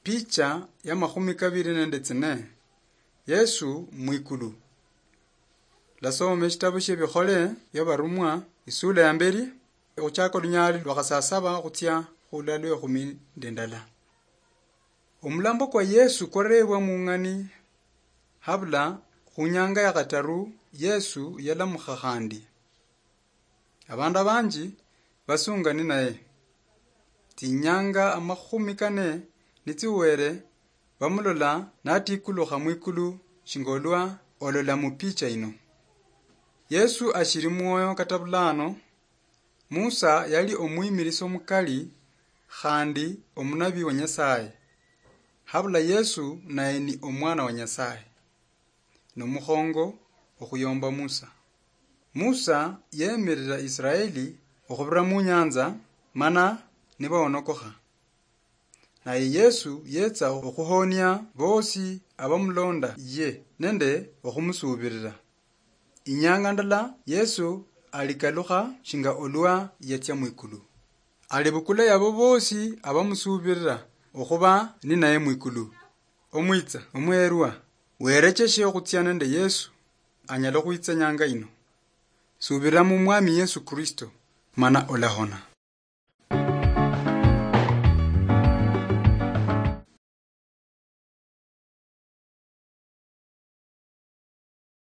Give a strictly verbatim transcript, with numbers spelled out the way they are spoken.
Picha ya makhumi kabiri nende tsine. Yesu mwikulu. Lasoma eshitabu shiebikhole bia barumwa, isula ya mberi, okhuchaka olunyali lwa khasasaba khutsia khula lwe khumi nende ndala. Omulambo kwa Yesu kwarebwa mung'ani habula khunyanga ya khataru Yesu yalamukha khandi. Abandu abanji basunga ninaye. Tsinyanga amakhumi kane nitsiwere, bamulola natikulukha mwikulu shinga olwa olola mupicha ino. Yesu ashiri mwoyo kata bulano. Musa yali omwimirisi omukali khandi omunabi wa Nyasaye. Habula Yesu naye ni omwana wa Nyasaye. Nomukhongo okhuyomba Musa. Musa yemirira Israeli okhubira munyanza, mana nibaonokokha. Naye Yesu yetsa okhuhonia bosi abamulonda ye nende okhumusuubirira. Inyanga ndala Yesu alikalukha shinga olwa yatsia mwikulu. Alibukula yabo bosi abamusuubirira okhuba ninaye mwikulu. Omwitsa, omuherwa, werecheshe okhutsia nende Yesu, anyala okhwitsa nyanga ino. Subira mu Mwami Yesu Kristo, mana olahona.